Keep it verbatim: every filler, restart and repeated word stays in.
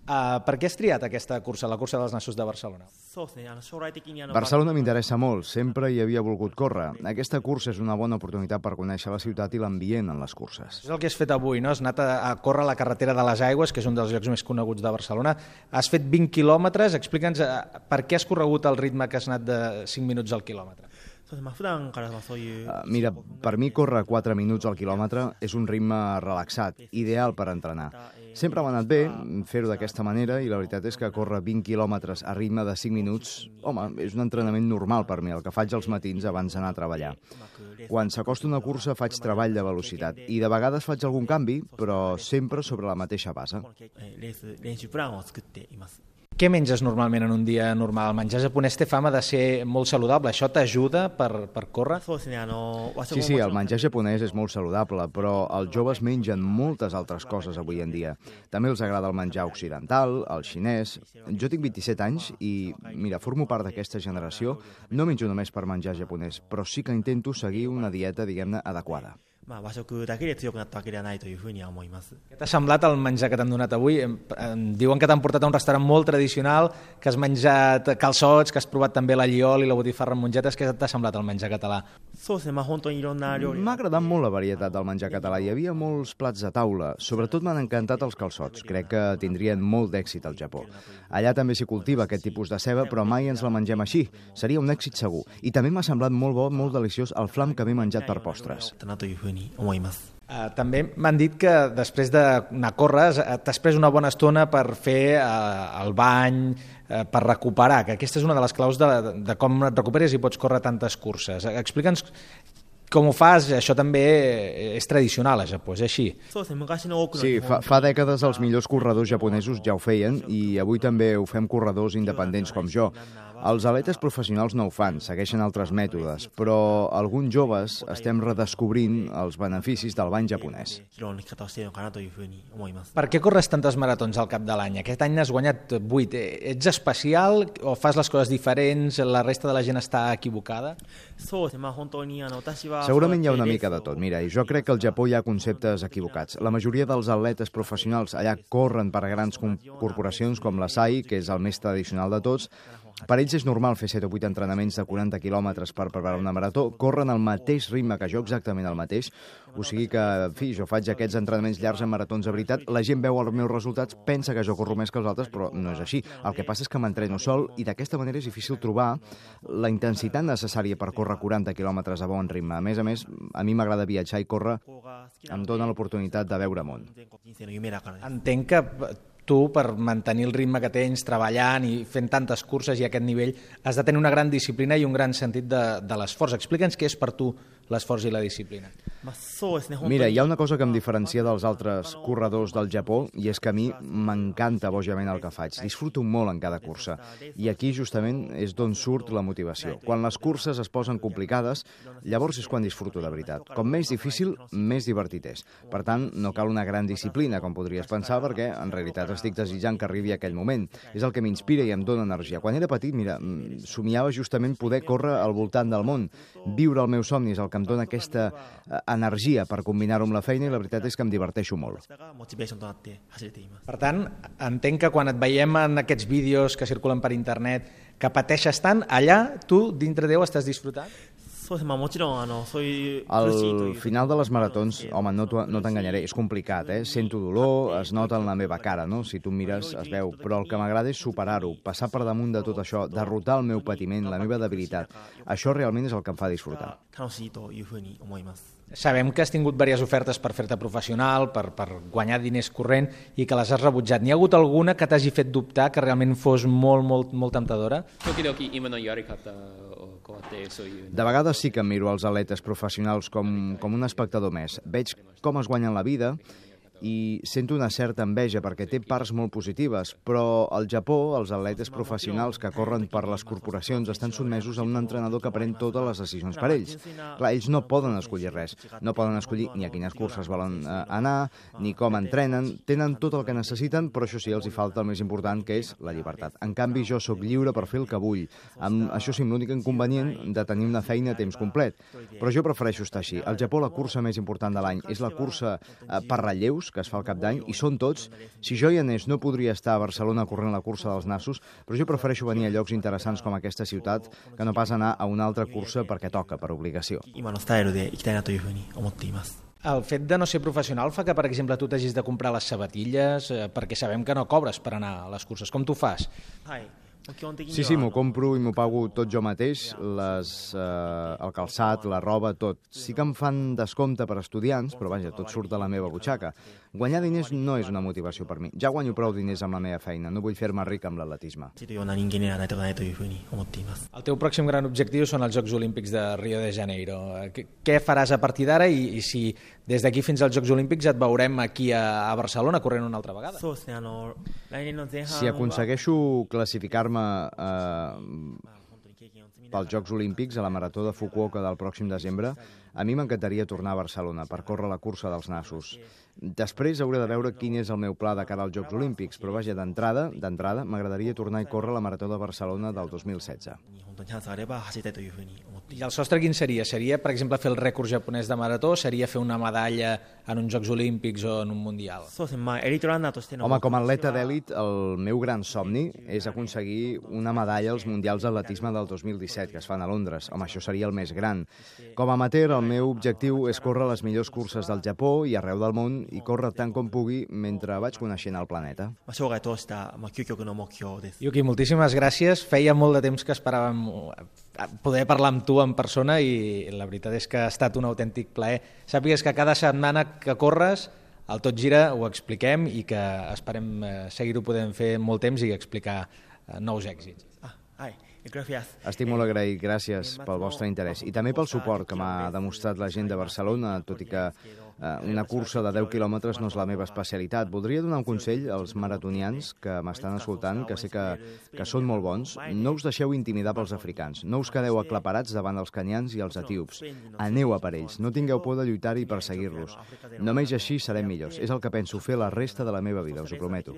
Uh, per què has triat aquesta cursa, la cursa dels nassos de Barcelona? Barcelona m'interessa molt, sempre hi havia volgut córrer. Aquesta cursa és una bona oportunitat per conèixer la ciutat i l'ambient en les curses. És el que has fet avui, no? Has anat a, a córrer a la carretera de les Aigües, que és un dels llocs més coneguts de Barcelona. Has fet vint quilòmetres, explica'ns uh, per què has corregut el ritme que has anat de cinc minuts al quilòmetre. Uh, mira, per mi córrer quatre minuts al quilòmetre és un ritme relaxat, ideal per entrenar. Sempre m'ha anat bé fer-ho d'aquesta manera i la veritat és que córrer vint quilòmetres a ritme de cinc minuts, home, és un entrenament normal per mi, el que faig als matins abans d'anar a treballar. Quan s'acosta una cursa faig treball de velocitat i de vegades faig algun canvi, però sempre sobre la mateixa base. Què menges normalment en un dia normal? El menjar japonès té fama de ser molt saludable. Això t'ajuda per, per córrer? Sí, sí, el menjar japonès és molt saludable, però els joves mengen moltes altres coses avui en dia. També els agrada el menjar occidental, el xinès. Jo tinc vint-i-set anys i, mira, formo part d'aquesta generació. No menjo només per menjar japonès, però sí que intento seguir una dieta, diguem-ne, adequada. Què t'ha semblat el menjar que t'han donat avui? Em diuen que t'han portat a un restaurant molt tradicional, que has menjat calçots, que has provat també l'alliol i la botifarra amb mongetes. Què t'ha semblat el menjar català? M'ha agradat molt la varietat del menjar català. Hi havia molts plats a taula. Sobretot m'han encantat els calçots. Crec que tindrien molt d'èxit al Japó. Allà també s'hi cultiva aquest tipus de ceba, però mai ens la mengem així. Seria un èxit segur. I també m'ha semblat molt bo, molt deliciós el flam que m'he menjat per postres. Uh, també m'han dit que després d'anar a córrer t'has pres una bona estona per fer uh, el bany, uh, per recuperar, que aquesta és una de les claus de, de com et recuperes i pots córrer tantes curses. Explica'ns com ho fas, això també és tradicional a Japó, és així? Sí, fa, fa dècades els millors corredors japonesos ja ho feien i avui també ho fem corredors independents com jo. Els atletes professionals no ho fan, segueixen altres mètodes, però alguns joves estem redescobrint els beneficis del bany japonès. Per què corres tantes maratons al cap de l'any? Aquest any n'has guanyat vuit. Ets especial o fas les coses diferents? La resta de la gent està equivocada? Segurament hi ha una mica de tot. Mira, i jo crec que al Japó hi ha conceptes equivocats. La majoria dels atletes professionals allà corren per grans corporacions com la S A I, que és el més tradicional de tots. Per ells és normal fer set o vuit entrenaments de quaranta quilòmetres per preparar una marató. Corren al mateix ritme que jo, exactament el mateix. O sigui que, en fi, jo faig aquests entrenaments llargs en maratons de veritat. La gent veu els meus resultats, pensa que jo corro més que els altres, però no és així. El que passa és que m'entreno sol i d'aquesta manera és difícil trobar la intensitat necessària per córrer quaranta quilòmetres a bon ritme. A més a més, a mi m'agrada viatjar i córrer em dona l'oportunitat de veure món. Entenc que tu, per mantenir el ritme que tens, treballant i fent tantes curses i a aquest nivell, has de tenir una gran disciplina i un gran sentit de, de l'esforç. Explica'ns què és per tu l'esforç i la disciplina. Mira, hi ha una cosa que em diferencia dels altres corredors del Japó i és que a mi m'encanta bojament el que faig. Disfruto molt en cada cursa i aquí justament és d'on surt la motivació. Quan les curses es posen complicades, llavors és quan disfruto de veritat. Com més difícil, més divertit és. Per tant, no cal una gran disciplina, com podries pensar, perquè en realitat estic desitjant que arribi aquell moment. És el que m'inspira i em dóna energia. Quan era petit, mira, somiava justament poder córrer al voltant del món. Viure el meu somni és el que em dona aquesta energia per combinar-ho amb la feina i la veritat és que em diverteixo molt. Per tant, entenc que quan et veiem en aquests vídeos que circulen per internet que pateixes tant, allà tu dintre teu estàs disfrutant? Al final de les maratons, home, no t'enganyaré, és complicat, eh? Sento dolor, es nota en la meva cara, no? Si tu em mires, es veu, però el que m'agrada és superar-ho, passar per damunt de tot això, derrotar el meu patiment, la meva debilitat. Això realment és el que em fa disfrutar. Sabem que has tingut diverses ofertes per fer-te professional, per, per guanyar diners corrent i que les has rebutjat. N'hi ha hagut alguna que t'hagi fet dubtar, que realment fos molt, molt, molt temptadora? De vegades sí que em miro els atletes professionals com, com un espectador més. Veig com es guanyen la vida i sento una certa enveja perquè té parts molt positives, però al Japó els atletes professionals que corren per les corporacions estan sotmesos a un entrenador que pren totes les decisions per ells. Clar, ells no poden escollir res, no poden escollir ni a quines curses volen eh, anar, ni com entrenen, tenen tot el que necessiten, però això sí, els hi falta el més important, que és la llibertat. En canvi, jo sóc lliure per fer el que vull. Amb això sí, l'únic inconvenient de tenir una feina a temps complet. Però jo prefereixo estar així. Al Japó la cursa més important de l'any és la cursa eh, per relleus, que es fa al cap d'any, i són tots. Si jo hi anés, no podria estar a Barcelona corrent la cursa dels nassos, però jo prefereixo venir a llocs interessants com aquesta ciutat que no pas anar a una altra cursa perquè toca, per obligació. El fet de no ser professional fa que, per exemple, tu t'hagis de comprar les sabatilles, eh, perquè sabem que no cobres per anar a les curses. Com t'ho fas? Sí, sí, m'ho compro i m'ho pago tot jo mateix, les, eh, el calçat, la roba, tot. Sí que em fan descompte per estudiants, però vaja, tot surt de la meva butxaca. Guanyar diners no és una motivació per mi. Ja guanyo prou diners amb la meva feina, no vull fer-me ric amb l'atletisme. El teu pròxim gran objectiu són els Jocs Olímpics de Rio de Janeiro. Què faràs a partir d'ara i, i si des d'aquí fins als Jocs Olímpics et veurem aquí a, a Barcelona corrent una altra vegada? Si aconsegueixo classificar-me eh, pels Jocs Olímpics a la Marató de Fukuoka del pròxim desembre, a mi m'encantaria tornar a Barcelona per córrer la cursa dels nassos. Després hauré de veure quin és el meu pla de cara als Jocs Olímpics, però vaja, d'entrada, d'entrada m'agradaria tornar a córrer la Marató de Barcelona del dos mil setze. I el sostre quin seria? Seria, per exemple, fer el rècord japonès de marató? Seria fer una medalla en uns Jocs Olímpics o en un Mundial? Home, com a atleta d'èlit, el meu gran somni és aconseguir una medalla als Mundials d'Atletisme del dos mil disset, que es fan a Londres. Home, això seria el més gran. Com a amateur, el meu objectiu és córrer les millors curses del Japó i arreu del món i córrer tant com pugui mentre vaig coneixent el planeta. Yuki, moltíssimes gràcies. Feia molt de temps que esperàvem poder parlar amb tu en persona i la veritat és que ha estat un autèntic plaer. Sàpigues que cada setmana que corres al Tot Gira ho expliquem i que esperem seguir-ho podent fer molt temps i explicar nous èxits. Estic molt agraït, gràcies pel vostre interès i també pel suport que m'ha demostrat la gent de Barcelona, tot i que eh, una cursa de deu quilòmetres no és la meva especialitat. Voldria donar un consell als maratonians que m'estan escoltant, que sé que, que són molt bons. No us deixeu intimidar pels africans, no us quedeu aclaparats davant els kenyans i els etíops. Aneu a per ells, no tingueu por de lluitar i perseguir-los. Només així serem millors. És el que penso fer la resta de la meva vida, us ho prometo.